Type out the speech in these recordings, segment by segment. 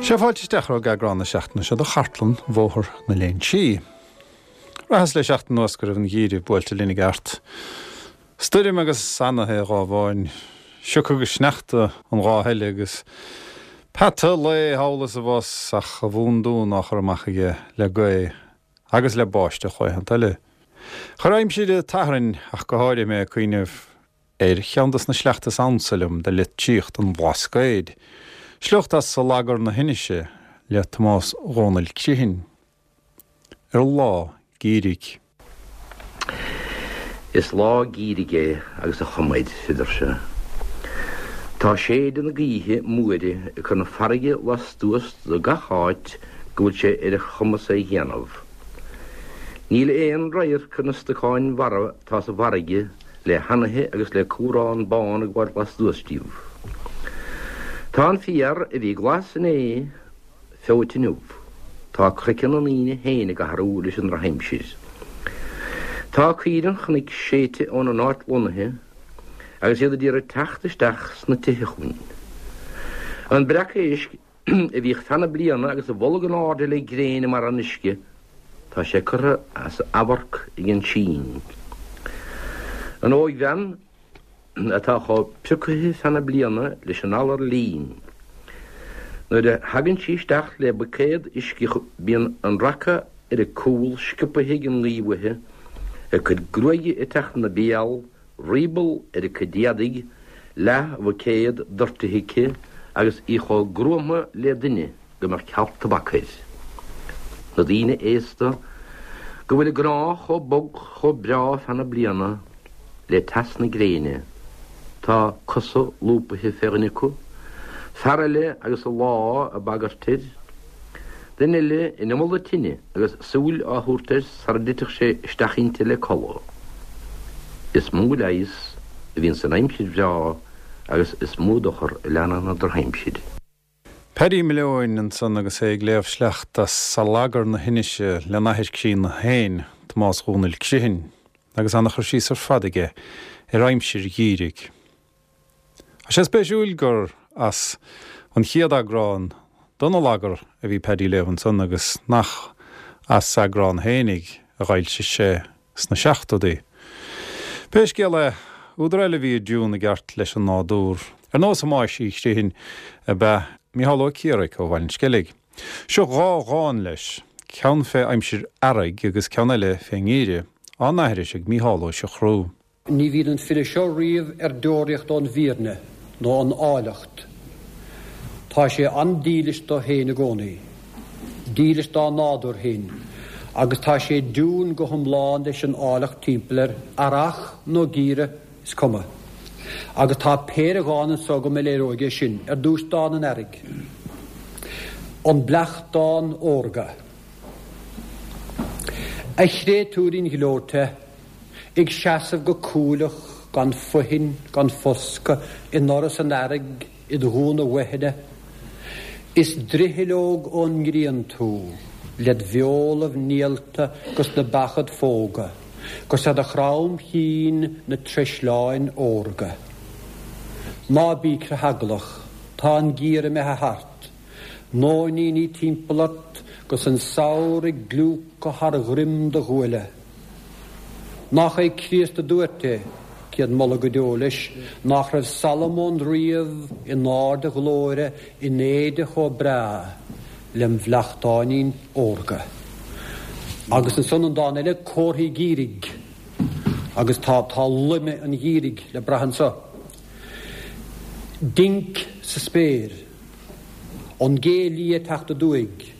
Sé fáilte isteach romhaibh ag eagrán na seachtaine seo de Chartlann Bhóthar na Léinsí. Bhraitheas le seachtain anuas go raibh an geimhreadh buailte linn i gceart. Stoirm agus anaithe an dá mheáin, sioc agus sneachta an dá thuile agus peata lae thall is abhus ach a bhundún á chur amach aige le gaoth agus le báisteach laethanta eile. Chuir aimsir an tSathairn ach go háirithe mé ag cuimhneamh ar cheann de na sleachta is ansa liom de litríocht an Bhlascaoid, sliocht as Allagar na hInise le Tomás Dhónaill Criomhthain, ar lá geimhridh. Is lá geimhridh é agus a chuma air, adeir sé. Tá séideadh na gaoithe móire ag cur na farraige lastuas de gach áit go bhfuil sé ar a chumas é dhéanamh. Níl aon radharc ar na stocáin mharbha atá sa bhfarraige le hanaithe agus le cumhrán bán ag gabháilt lastuas díobh. Tá an féar a bhí glas inné feoite inniu. Tá craiceann na ndaoine féin ag athrú leis an ndrochaimsir. Tá caoire an chnoic séidte óna n-áit lonnaithe agus iad a d'iarraidh teacht isteach sna tithe chugainn. An breac éisc a bhíodh feadh na bliana agus a bholg in airde le gréin i mbarra an uisce, tá sé curtha as amharc ag an sín. An óigbhean atá chomh priocaithe feadh na bliana leis an alar lín, nuair a thagann sí isteach le buicéad uisce bíonn an raca ar a cúl sciobtha ag an ngaoth uaithi, a cuid gruaige ag teacht ina béal, rioball ar a cuid éadaigh, leath-bhuicéad doirtithe aici agus í chomh gruama le duine go mbeadh cealt tobac air. Na daoine aosta go bhfuil a gcrá chomh bog chomh breá feadh na bliana le teas na gréine, tá cosa lúbaithe fé dhuine acu, fear eile agus a lá ag bagairt air, Duine eile in imeall na tine agus súil á thabhairt air sara dtitfeadh sé isteach inti le codladh. Is mó leigheas a bhíonn san aimsir bhreá agus is mó dochar a leanann an drochaimsir. Paddy Maleoin ansan agus é ag léamh sleacht as Allagar na hInise lena athair críonna féin, Tomás Dhónaill Criomhthain, agus ana-chur síos ar fad aige ar aimsir gheimhridh. Tá sé spéisiúil gur as an chéad eagrán den Allagar a bhí Paddy ag léamh ansan agus nach as eagrán fhéinig a dh'fhoilsigh sé sna seachtóidí. Pé scéal é, údar eile a bhí i dtiún i gceart leis an nádúr, ar nós Thomáis Uí Chriomhthain, ab ea Mícheál Ó Ciaraic ó Bhaile an Sceilg. Seo dhá dhán leis, ceann fé aimsir earraigh agus ceann eile fén ngeimhreadh, á n-aithris ag Mícheál Ó Siochrú. Ní bhíonn an file seo riamh ar deoraíocht ón bhfírinne nó ón áilleacht. Tá sé an-dílis dó féin i gcónaí, dílis dá nádúr féin, agus tá sé i dtiún go hiomlán leis an áilleacht timpeall air, earrach nó geimhreadh, is cuma. Agus tá péire dhán anso agam a léireoidh é sin. Ar dtús dán an earraigh. An Bleachtán Órga. A chréatúirín ghleoite. Ag seasamh go cúileach gan fothain gan foscadh i ndoras an earraigh id ghúna uaithne, Is droicheallóg ón ngrian tú, led bheolaibh néalta 'gus na beacha id phógadh, 'Gus ar do chrom chinn na treisleáin órga. Ná bí critheaglach, tá an geimhreadh imithe thart, Nóiníní timpeall ort 'gus an samhradh ag gliúcadh thar dhroim do ghuaille. Nach é Críost a dúirt é, céad moladh go deo leis, nach raibh Salomón riamh in ard a ghlóire in éide chomh breá lem bhleachtáinín órga. Agus ansan an dán eile, Comharthaí Geimhridh, agus tá tá loime an gheimhridh le brath anso. Dinc sa spéir. An gé liath ag teacht aduaidh.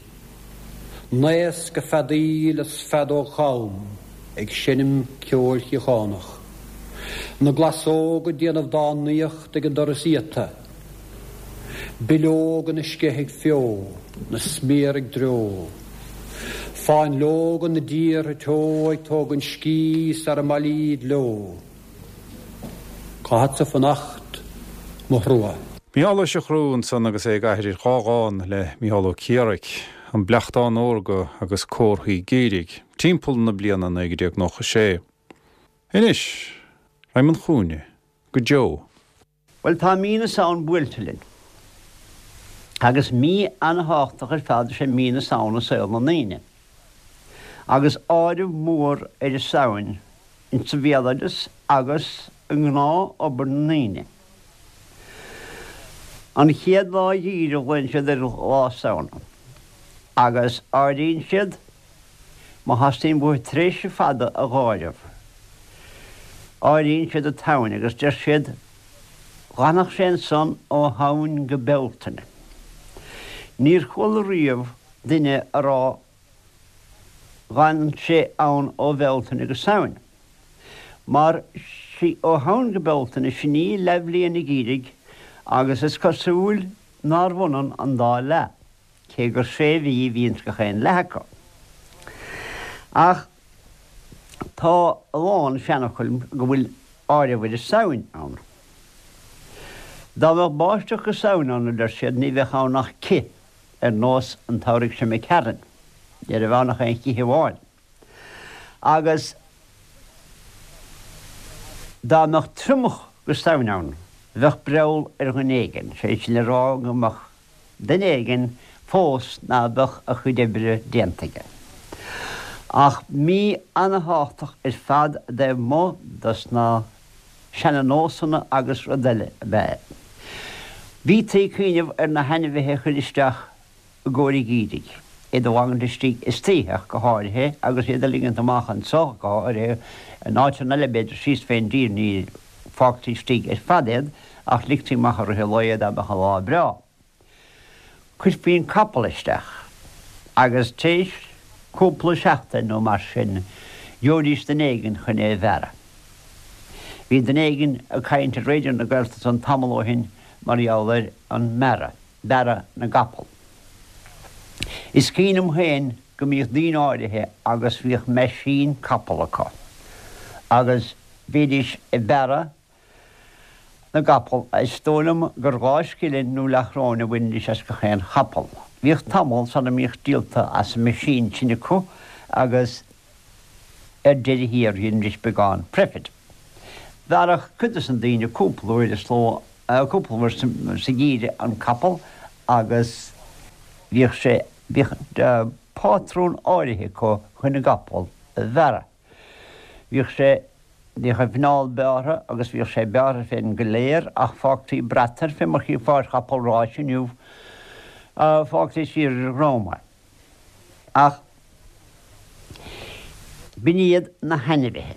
Naosc ag feadaíl is feadóg cham ag seinm ceoil shíochánach. Na glasóga ag déanamh dá n-aíocht ag an doras iata. Bileoga na sceith ag feo, na smior ag dreo. Fáinleoga na dtíortha teo ag tógaint scíth sara mbailíd leo. Caithfeadsa fanacht, mo thrua. Mícheál Ó Siochrú ansan agus é ag aithris dhá dhán le Mícheál Ó Ciaraic, An Bleachtán Órga agus Comharthaí Geimhridh, timpeall na bliana 1996. Anois, raghaim 'un chúinne, go deo. Bhuel, tá mí na Samhna buailte linn. Agus mí an-thábhachtach ar fad is ea mí na Samhna i saol na ndaoine. Agus áireamh mór ar an Samhain insa bhéaloideas agus i ngnáth-obair na ndaoine. An chéad lá gheimhridh a ghlaonn siad ar Lá Samhna. Agus áiríonn siad, má theastaíonn uathu tréimhse fada a dh'áireamh, áiríonn siad an tSamhain agus deir siad, Dh'fhanfadh sé ansan ó Shamhain go Bealtaine. Níor chuala riamh duine a rá Dh'fhan sé ann ó Bhealtaine go Samhain. Mar sí ó Shamhain go Bealtaine sin í leathbhliain an gheimhridh agus is cosúil nárbh ionann an dá leath, cé gur sé mhí a bhíonns gach aon leath acu. Ach tá a lán seanfhocal go bhfuil áireamh ar an Samhain ann. Dá mbeadh báisteach go Samhain ann, a deir siad, ní bheadh ann ach cith, ar nós an tsamhraidh seo imigh tharainn. Ní raibh ann ach aon chith amháin. Agus dá mbeadh triomach go Samhain ann, bheadh breall ar dhuine éigin, sé sin le rá go mbeadh duine éigin fós ná beadh a chuid oibre déanta aige. Ach mí ana-thábhachtach ar fad i dtaobh amuigh dos na seana-nósanna agus rud eile ab ea é. Bhítí ag cuimhneamh ar na hainmhithe a chur isteach i gcomhair an gheimhridh, iad a fhágaint istigh istoíche ach go háirithe, agus iad a ligint amach anso go háirithe, in áiteanna eile b'fhéidir síos fén dtír ní fágtaí istigh ar fad iad ach ligtí amach i rith an lae dá mbeadh an lá breá. Chuirfí an capall isteach agus tar éis cúpla seachtain nó mar sin gheobhaidís duine éigin chun é a bhearradh. Bhí duine éigin ag caint ar Raidió na Gaeltachta an tamall ó shin mar gheall ar an mbearradh, bearradh na gcapall. Is cuimhin liom féin go mbíodh daoine áirithe agus bhíodh meaisín capall acu agus bhídís ag bearradh na gcapall. Is dóigh liom gur dha scilling nó leathchróin a bhainidís as gach aon chapall. Bhíodh tamall sara mbíodh díolta as an meaisín sin acu agus ar deireadh thiar dheinidís beagán profit. Bhearradh cuid dos na daoine cúpla uair is ló, cúpla uair sa gheimhreadh an capall agus bhíodh sé, bhíodh pátrún áirithe acu chun an gcapall a bhearradh. Bhíodh sé, bhíodh a mhuineál bearrtha agus bhíodh sé bearrtha féin go léir ach fágtaí brat air fé mar chífeá ar chapall ráis inniu, fágtaí siar ar a dhrom é. Ach b'in iad na hainmhithe.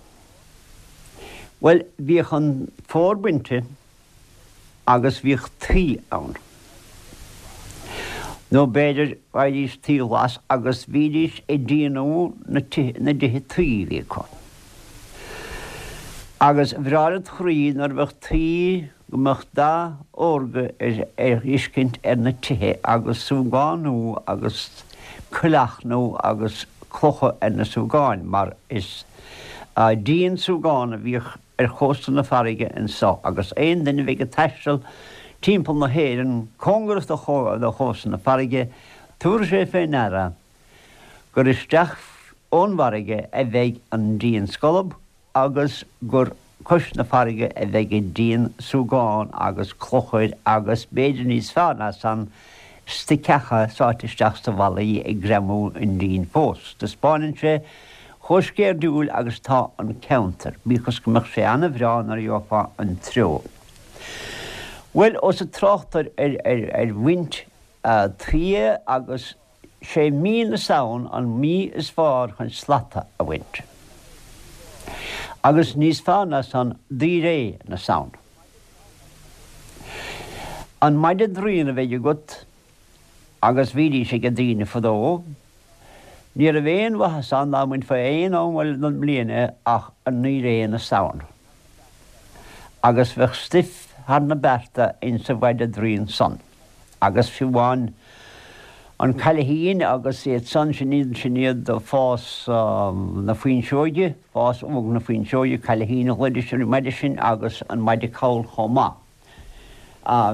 Bhuel, bhíodh an fómhar bainte agus bhíodh tuí ann. Nó b'fhéidir bhfaighidís tuí ghlas agus bhídís ag díonú na na dtithe tuí a bhí acu. Agus bhreá led chroí nuair a bheadh tuí go mbeadh dath órga ar ar fheiscint ar na tithe agus súgán nua agus coileach nua agus clocha ar na súgáin mar is díon súgán a bhíodh ar chósta na farraige anso agus aon duine a bheidh ag taisteal timpeall na hÉireann cóngarach do chósta na farraige, tabharfaidh sé fé ndeara gur isteach ón bhfarraige a bheidh an díon scolb agus gur cois na farraige a bheidh an díon súgán agus clochair agus b'fhéidir níos fearr ná san, stoiceacha sáite isteach sna ballaí ag greamú an dín fós. Taispeánann sé chomh sceirdiúil agus atá an ceantar, bíodh is go mbeadh sé ana-bhreá nuair a gheofá an treo. Bhuel, ós ag trácht ar ar bhaint tuí agus sé mí na Samhan an mí is fearr chun slata a bhaint. Agus níos fearr ná san, daoiré na Samhna. An maide draoin a bheidh agat, agus bhídís ag daoine fadó, ní raibh aon mhaitheas ann dá mbainfeá aon am eile den mbliain é ach i ndaoiré na Samhna. Agus bheadh stuif thar na bearta insa mhaide draoin san. Agus fiú amháin an cailithín agus iad san, sin iad, sin iad fás na fuinseoige, fás óg na fuinseoige, cailithín a ghlaoidís ar an maide sin agus an maide call chomh maith.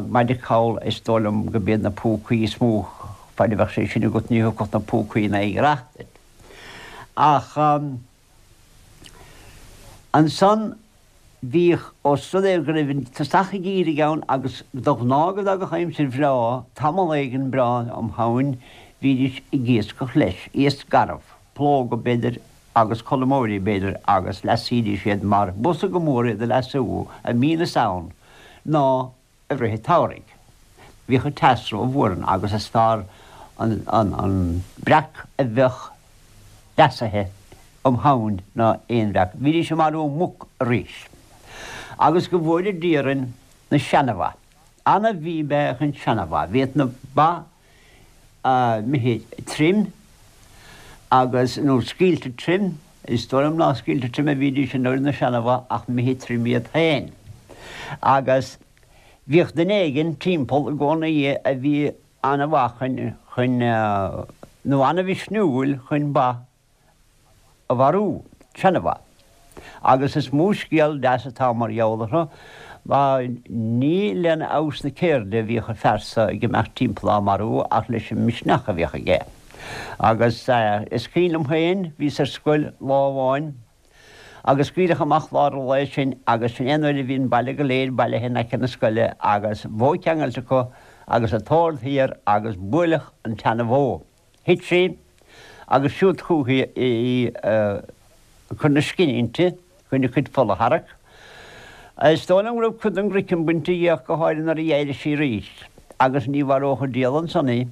Maide call, is dóigh liom go b'iad na púcaí is mó, faid a bheadh sé sin agat ní thiocfadh na púcaí in aghaidh rath duit. Ach ansan. Bhíodh, ós rud é go raibh an tosach an gheimhridh ann agus de ghnáth go dtagadh aimsir bhreá, tamall éigin breá um Shamhain, bhídís ag iascach leis, iasc garbh, plóga b'fhéidir agus colmóirí b'fhéidir agus leasaídís iad mar b'fhusa go mór iad a leasú i mí na Samhan ná i rith an tsamhraidh. Bhíodh an teas rómhór ann agus is fearr an breac a bheadh leasaithe um Shamhain ná aon bhreac. Bhídís ag marú muc arís. Agus go bhfóire Dia orainn na seana-bha. Ana-mhí ab ea an seana-bha. Bhíodh na ba imithe trim agus, nó scaoilte trim, is dóigh liom ná scaoilte trim a bhídís an uair na seana-bha ach imithe trim iad féin. Agus bhíodh duine éigin timpeall i gcónaí a bhí ana-mhaith chun, chun, nó ana-mhisniúil chun ba a mharú, seana-bha. Agus is mó scéal deas atá mar gheall orthu, mar ní lena fheabhas na ceirde a bhíodh an fear so ag imeacht timpeall á marú ach leis an misneach a bhíodh aige. Agus is cuimhin liom féin, bhíos ar scoil lá amháin agus scaoileadh amach lár an lae sinn agus sin é an uair a bhí an baile go léir bailithe in aice na scoile agus bó ceangailte acu agus an t-ord thiar agus buaileadh an tseana-bhó. Thit sí agus siúd chúithi í ag cur na scine inti chun a cuid fola a tharrac. Is dóigh liom go raibh cuid den gcraiceann bainte dhi ach go háirithe nuair a d'éirigh sí arís agus ní mharódh an diabhal ansan í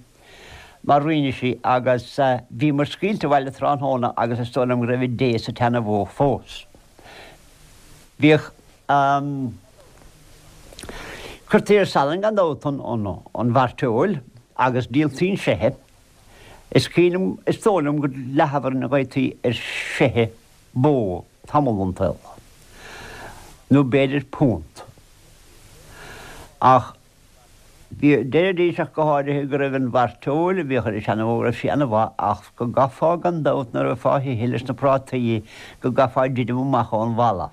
mar rinne sí agus bhíomar scaoilte abhaile tráthnóna agus is dóigh liom go raibh an dé sa tseana-bhó fós. Bhíodh. Cuirtí ar salann gan dabht an mhairteoil agus díoltaí an seithe. Is cuimhin liom, is dóigh liom gur leathbhroinn a gheibhtí ar sheithe bó tamall den tsaol, nó b'fhéidir punt. Ach bhí, deiridís ach go háirithe go raibh an mhairteoil a bhíodh ar an seana-bhó, go raibh sí ana-mhaith ach go gcaithfeá gan dabht nuair a bheifeá á hithe leis na prátaí, go gcaithfeá druidim amach ón bhalla.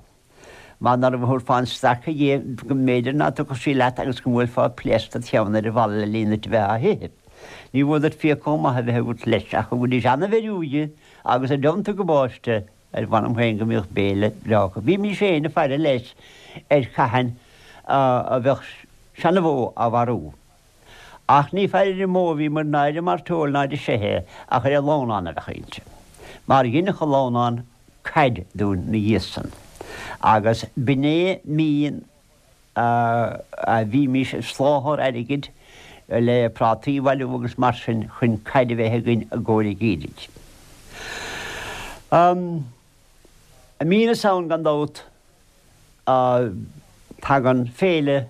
Mar nuair a thabharfá an stracadh dhi, go mb'fhéidir ná tiocfadh sí leat agus go mbuailfeá pléasc dod cheann ar an bhalla le linn duit a bheith á hithe. Ní mhór duit fiach chomh maith a bheith agat leis, ach thugaidís ana-bheiriú di agus i dteannta gabáiste, ar mh'anam féin go mbíodh béile breá acu. Bhímís féin ag faire leis ar cathain a bheadh seana-bhó á mharú. Ach ní faire ar an mbó a bhíomar ná ar an mairteoil ná ar an seithe ach ar an lamhnán a bheadh inti. Mar dheineadh an lamhnán caid dúinn 'na dhiaidh san. Agus b'in é mí a bhímís ag soláthar airgid le prátaí a bhailiú agus mar sin chun caid a bheith againn i gcomhair an gheimhridh. I mí na Samhain gan dabht tagann féile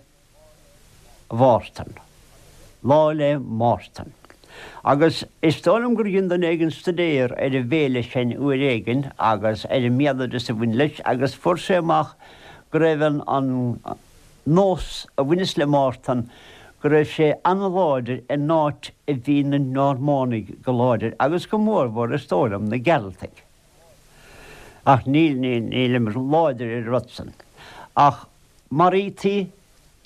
Mhártain. Lá 'le Mártan. Agus is dóigh liom gur dhein duine éigin stuidéar ar an bhféile sin uair éigin agus ar an mbéaloideas a bhain leis agus fuair sé amach go raibh an an nós a bhaineas le Mártan go raibh sé an-láidir in áit a bhí na Normánaigh go láidir agus go mórmhór is dóigh liom na Gearaltaigh. Ach níl níl nílim láidir ar an rud san. Ach maraítaí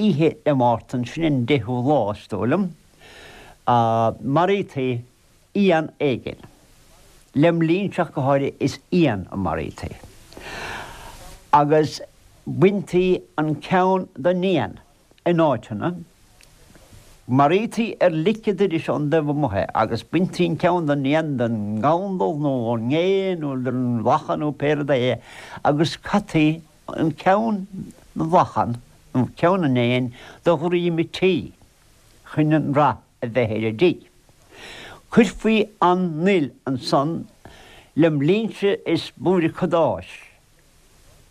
oíche 'le Mártan, sin an deichiú lá, is dóigh liom, maraítaí éan éigin. Lem linnse ach go háirithe is éan a maraítaí. Agus baintí an ceann den éan in áiteanna. Maraítaí ar lic an doiris ón dtaobh amuigh é agus baintí an ceann den éan, den ngandal nó ón ngé nó den lacha nó pé rud é agus caití an ceann na lachan nó ceann an éin do dhroim an tí chun an rath a bheith ar an dtigh. Cuirfí an fhuil ansan lem linnse is blúire cadáis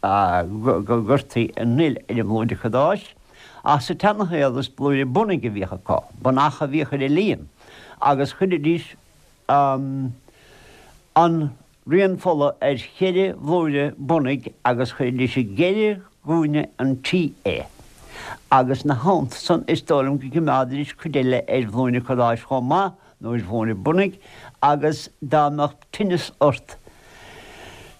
go gcuirtí an fhuil ar an mblúire cadáis ach sa tseanashaol is blúire bunaigh a bhíodh acu, bunach a bhíodh ar an líon agus chuiridís an rian fola ar cheithre bhlúire bunaigh agus chuiridís i gceithre gcúinne an tí é agus 'na theannta san is dóigh liom go gcimeádaidís cuid eile ar bhlúine cadáis chomh maith nó ar bhlúine bunaigh agus dá mbeadh tinneas ort,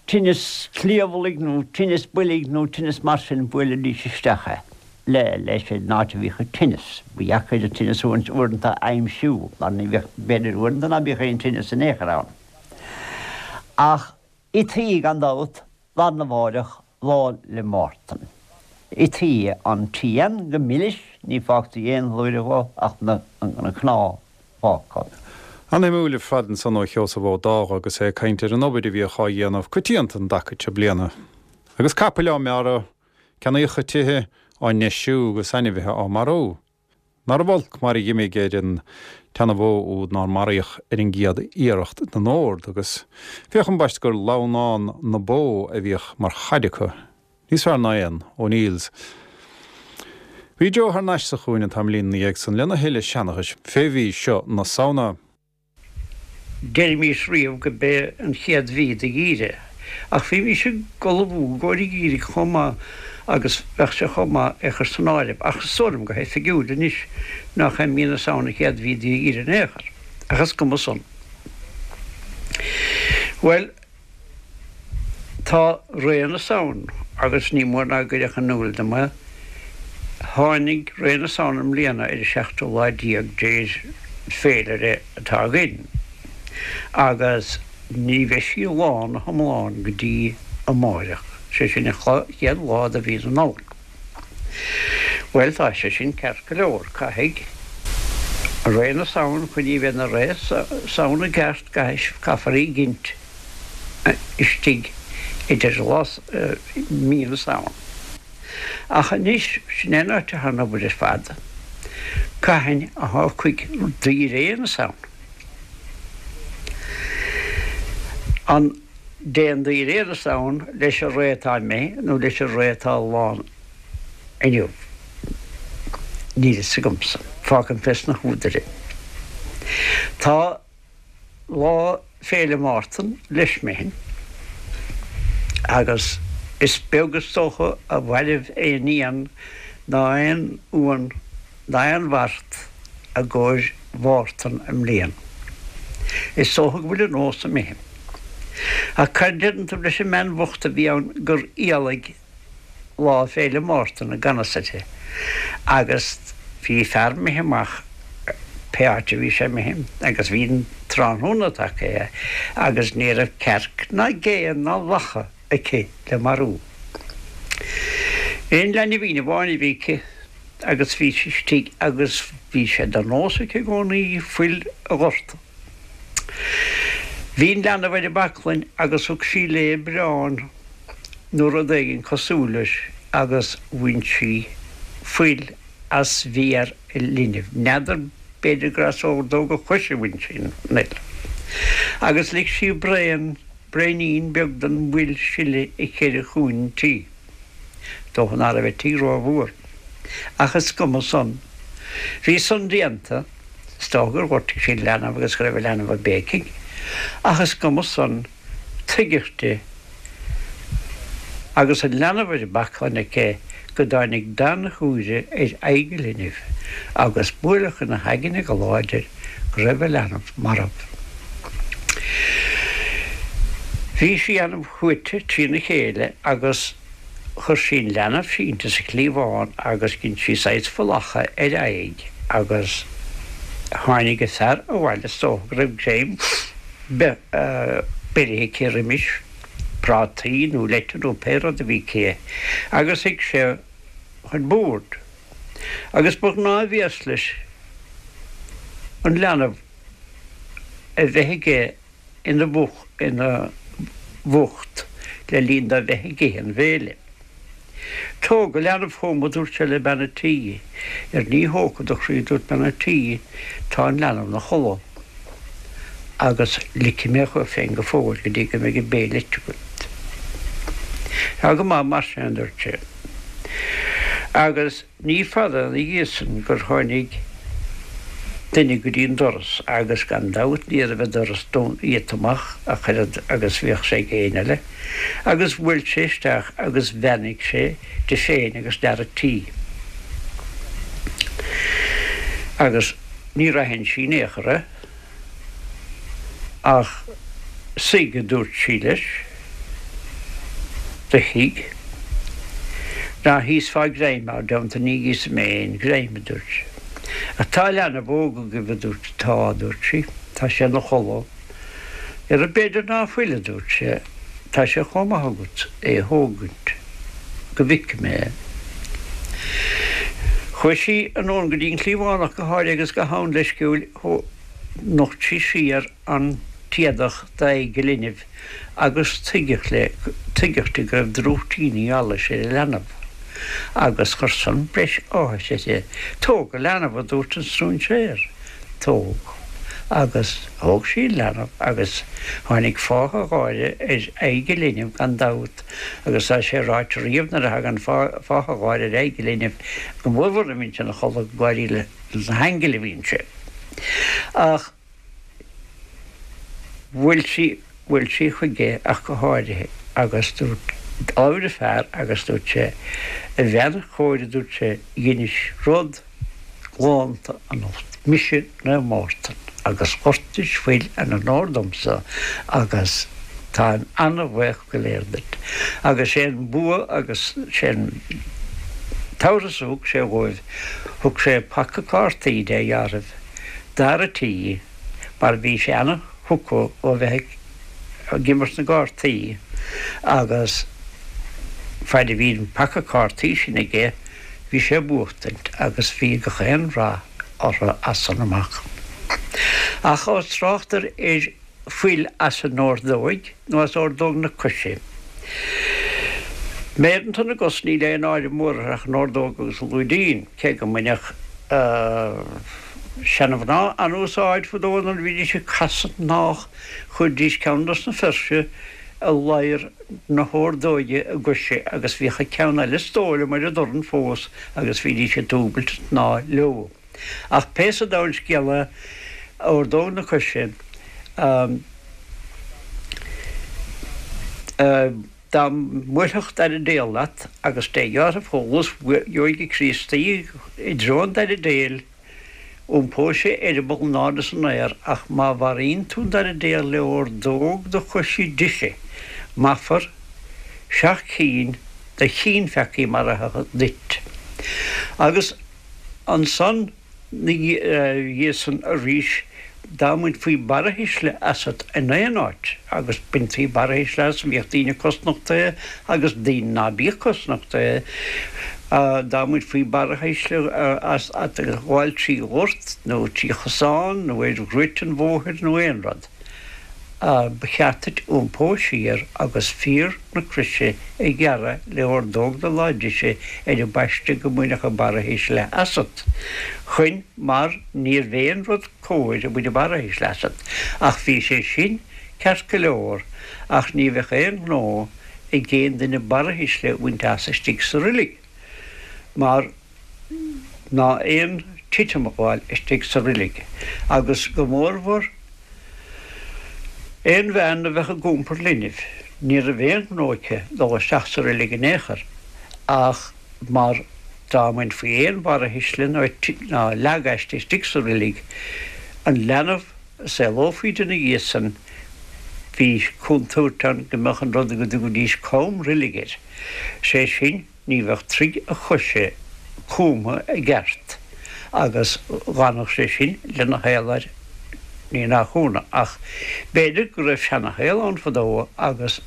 tinneas cliabhlaigh nó tinneas boilg nó tinneas mar sin bhuailidís isteach é le leis an áit a bhíodh an tinneas. Ba dheacair an tinneas uaireanta a aimsiú mar ní bheadh, b'fhéidir uaireanta ná bíodh aon tinneas in aon chor ann. Ach ithí gan dabht lá arna mháireach, Lá 'le Mártan. Ití an t-éan go milis, ní fágtaí aon bhlúire dhó ach na cnámha fágtha. An-shuimiúil ar fad ansan ó Sheosamh Ó Dágha agus é ag caint ar an obair a bhíodh á dhéanamh coitianta an dtaca seo bliana. Agus capaill á mbearradh, ceannaíocha tithe á ndeisiú agus ainmhithe á marú. Nárbh olc mar a dh'imigh ar an tseana-bhó úd nár maraíodh ar an gcéad iarracht den ord, agus féach ambaist gur lamhnán na bó a bhíodh mar chaid acu, níos fearr ná aon O'Neills. Bhí Joe thar n-ais sa chúinne an tamaillín ina dhiaidh san lena thuilleadh seanchais fé mhí seo na Samhna. Deirimís riamh go b'é an chéad mhí de gheimhreadh, ach bhímís ag ullmhú i gcomhair an gheimhridh chomh maith agus bheadh sé chomh maith é chur san áireamh, ach is dóigh liom go hoifigiúil anois nach é mí na Samhna an chéad mhí de gheimhreadh in aon chor, ach is cuma san. Bhuel. Tá ré na Samhna, agus ní mór ná gcuirfeadh in iúl dom é, tháinig ré na Samhna i mbliana ar an seachtú lá déag de féilire atá againn, agus ní bheidh sí lán na hiomlán go dtí amáireach, sé sin an chéad lá de mhí na Nollag. Bhuel, tá sé sin ceart go leor, caithfidh ré na Samhna, chun í bheith ina ré Samhna i gceart, caithfear í ghint istigh idir lá, mí na Samhna. Ach anois, sin é an áit atá an obair ar fad, cathain a thiocfaidh ré na Samhna? An dtéann ré na Samhna leis an ré atá imithe nó leis an ré atá lán inniu? Níl fhios agamsa. Fágaim fés na húdair é. Tá Lá Féile Mártan leis imithe agus is beag is dócha a mhairbh aon éan ná aon uan ná aon mhart i gcomhair Mhártan i mbliana. Is dócha go bhfuil an nós imithe. Ach cad a deireann tú leis an mbean bhocht a bhí ann gur éalaigh Lá Féile Mártan i gan fhios uirthi agus bhí fear imithe amach pé áit a bhí sé imithe agus bhí an tráthnóna tagtha aige agus ní raibh cearc ná gé ná lacha aici le marú. Aon leanbhín amháin a bhí aici agus bhí sí istigh agus bhí sé de nós aici i gcónaí fuil a dhortadh. Bhí an leanbh ar an baclainn agus thug sí léi braon nó rud éigin cosúil leis agus bhain sí fuil as mhéar an linbh. N'fheadar, b'fhéidir gur as ordóg a choise a bhain sí an fhuil. Agus lig sí braon, braoinín beag den bhfuil sileadh i cheithre chúinne an tí. Dócha ná raibh an tigh rófhuar. Ach is cuma san. Bhí san déanta. Is dócha gur ghortaigh sí an leanbh agus go raibh an leanbh ag béicigh. Ach is cuma san. Tuigeadh di, agus an leanbh ar an baclainn aici, go dtáinig dath na húire ar aghaidh an linbh agus buaileadh ina haigne go láidir go raibh a leanbh marbh. Bhí sí an-shuaite trína chéile agus chuir sí an leanbh sínte sa chliabhán agus dhein sí saghas fulacha ar a aghaidh agus tháinig a fear abhaile is dócha go raibh greim beirithe aici roimis, prátaí nó leite nó pé rud a bhí aici agus shuigh sé chun boird agus ba ghnáthbhéas leis an leanbh a bheith aige ina bhucht le linn dó bheith ag ithe an bhéile. Tóg an leanbh chugam, a dúirt sé le bean a' tí. Ar ní thógfadh do chroí, a dúirt bean a' tí, tá an leanbh 'na chodladh agus ligfidh mé chugat féin go fóill go dtí go mbeidh an béile ite agat. Tá go maith mar sin, a dúirt sé. Agus. Ní fada ina dhiaidh san gur tháinig duine go dtí an doras agus gan dabht ní raibh an doras iata amach ach oiread agus bhíodh sé ag éinne eile agus bhuail sé isteach agus bheannaigh sé di féin agus d'fhear a' tí agus níor aithin sí in aon chor é. Ach suigh, a dúirt sí leis. Do shuigh. Ná híosfá greim, mar deonta ní íosfaidh mé aon ghreim, a dúirt sé. Ach tá leanbh óg agaibh, a dúirt. Tá, a dúirt sí. Tá sé ina chodladh. Ara b'fhéidir ná fuil, a dúirt sé. Tá sé chomh maith agat é a thógaint go bhfeicfidh mé é. Chuaigh sí anonn go dtí an cliabhánach go háirithe agus go han-leisciúil nocht sí siar an t-éadach d'aghaidh an linbh agus tuigeadh le, tuigeadh di go raibh drúchtíní allais ar an leanbh agus chuir san breis áthais uirthi. Tóg an leanbh, a dúirt an stróinséir. Tóg. Agus thóg sí an leanbh agus tháinig fáithe gháire ar aghaidh an linbh gan dabht agus tá sé ráite riamh nuair a thagann fáithe gháire ar aghaidh an linbh go mórmhór nuair a bhíonn sé ina chodladh ag gáirí leis na haingil a bhíonn sé. Ach bhuail sí, bhuail sí chuige ach go háirithe agus dúirt, labhair an fear agus dúirt sé, a bhean chóir a dúirt sé, dheinis rud galánta anocht, mise Naomh Mártan, agus dhoirtis fuil in onóir domsa agus táim ana-bhaoch go léir duit. Agus sé an bua agus sé an tabharthas a thug sé dhóibh, thug sé paca cártaí dé dheartháir dara tí mar bhí sé ana-thugtha ó bheith ag imirt na gcártaí agus faid a bhí an paca cártaí sin aige Bhí sé ag buachtaint agus bhí gach aon rath orthu as san amach. Ach ós tráchtar ar fuil as an ordóig nó as ordóg na coise. Méireanta na gcos níl aon áireamh mór orthu ach an ordóg agus an lúidín, cé go mbaineadh seana-mhná an-úsáid fadó nuair a bhídís ag casadh gnách chuiridís ceann dos na fuirse i ladhar na hordóige a gcoise agus bhíodh an ceann eile is dóigh liom ar a dtorn fós agus bhídís ag dúbailt an tsnáth leo. Ach pé sa domhan scéal é, ordóg na coise, dá mbuailfeadh dara béal leat agus dé dhealramh chomh luas gheobhaidh an Críostaí i dtreo an dara béil, Iompóidh sé eireaball in airde san aer ach má mharaíonn tú an dara béal le ordóg do choise deise, maithfear seacht cinn de chianpheacaí maraithe duit. Agus ansan 'na dhiaidh san arís dá mbainfí barrathuisle asat in aon áit, agus baintí barrathuisle as, bhíodh daoine cosnochtaithe agus daoine ná bíodh cosnochtaithe, dá mbainfí barrathuisle asat ag gabháil trí ghort nó trí chosán nó ar dhroit an bhóthair nó aon rud, ba cheart duit iompó siar agus fíor na croise a ghearradh le ordóg do láimh deise ar an bpaiste go mbainfeadh an barrathuisle asat, chun mar níorbh aon rud cóir a bhaint barrathuisle asat, ach bhí sé sin ceart go leor, ach ní bheadh aon ghnó ag aon duine barrathuisle a bhaint as istigh sa roilig, mar ná aon titim a ghabháil istigh sa roilig, agus go mórmhór aon bhean a bheadh ag iompar linbh, ní raibh aon ghnó aici dul isteach sa roilig in aon chor, ach. mar dá mbainfí aon bharrathuisle ná leag aisti istigh sa roilig, an leanbh a saolófaí di 'na dhiaidh san, bhí contúirt ann go mbeadh an rud go dtugaidís com roilige air, sé sin ní bheadh troigh a choise cumtha i gceart agus dh'fhanfadh sé sin lena shaol air, ní nach ionadh, ach b'fhéidir go raibh seana-shaol ann fadó agus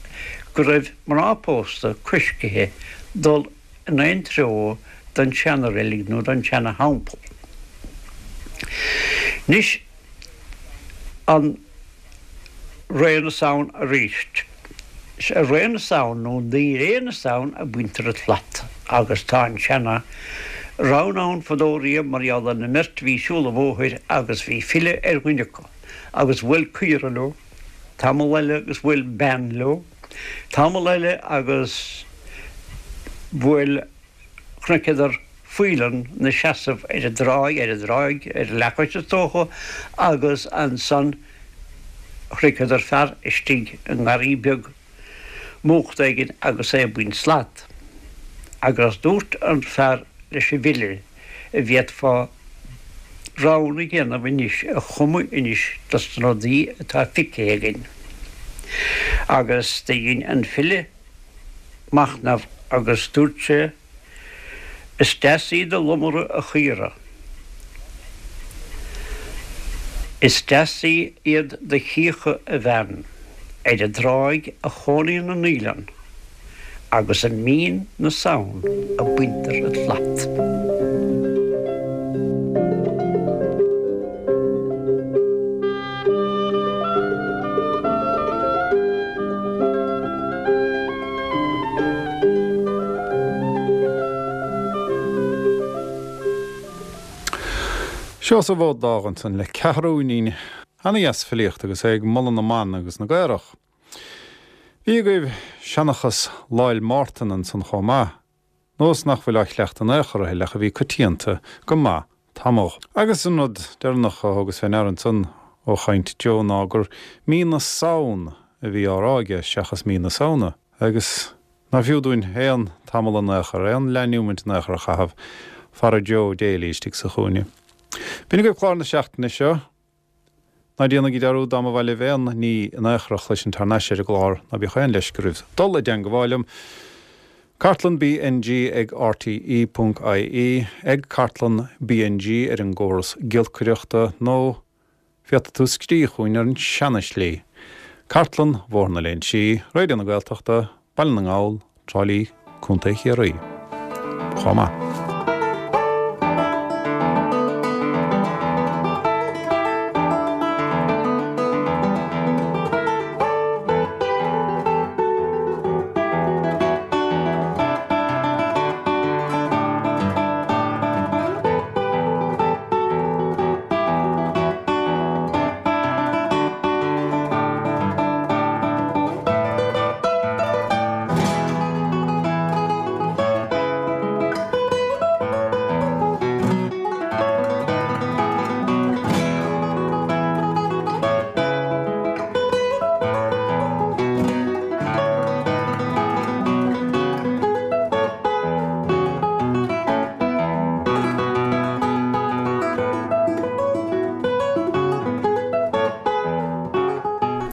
go raibh mná pósta coiscithe dul in aon treo don seana-reilig nó don seana-theampall. Anois, an Ré na Samhna arís. Is i Ré na Samhna nó i Ré na Samhna a baintear an tslat agus tá an seana rann ann fadó riamh mar gheall ar an mbeirt a bhí ag siúl an bhóthair agus bhí file ar dhuine acu agus bhuail caora leo tamall eile agus bhuail bean leo tamall eile agus bhuail chonaiceadar faoileán 'na seasamh ar an dtráigh, ar an dtráigh, ar a leathchois is dócha, agus ansan chonaiceadar fear istigh i ngarraí beag múchta éigin agus é ag baint slat. Agus dúirt an fear leis an bhfile, an bhféadfá rann a dhéanamh anois, a chumadh anois dos na rudaí atá feicthe againn. Agus do dhein an file machnamh agus dúirt sé, Is deas iad do lomra a chaora. Is deas iad do chíocha a bhean. Ar an dtráigh a chónaíonn an fhaoileann agus i mí na Samhna a baintear an tslat. Seosamh Ó Dágh ansan le ceathrúinín ana-dheas filíochta agus é ag moladh na mban agus na gcaorach. Bhí agaibh seanchas Lá'il Mártan ansan chomh maith, nós nach bhfuil á chleachtadh in aon chor a thuilleadh ach a bhí coitianta go maith tamall. Agus an rud deireanach a thógas fé ndeara ansan ó chaint Joe ná gur mí na Samhna a bhí á rá aige seachas mí na Samhna agus Ná fiú dúinn aon tamall in aon chor, aon leath-neomant in aon chor a chaitheamh fara Joe Daly istigh sa chúinne. B'in agaibh clár na seachtaine seo. Ná déanaigí dearúd dá mba mhaith libh aon ní in aon chor a chloisint thar n-ais ar an gclár, ná bíodh aon leisce oraibh dul i dteangabháil liom. Cartlann BNG ag rte ponc ie, ag Cartlann BNG ar an gcóras giolcaireachta nó Féadfaidh tú scríobh chugainn ar an seana-shlí. Cartlann Bhóthar na Léinsí, Raidió na Gaeltachta, Baile na nGall, Trá Lí, Contae Chiarraí. Chomh maith.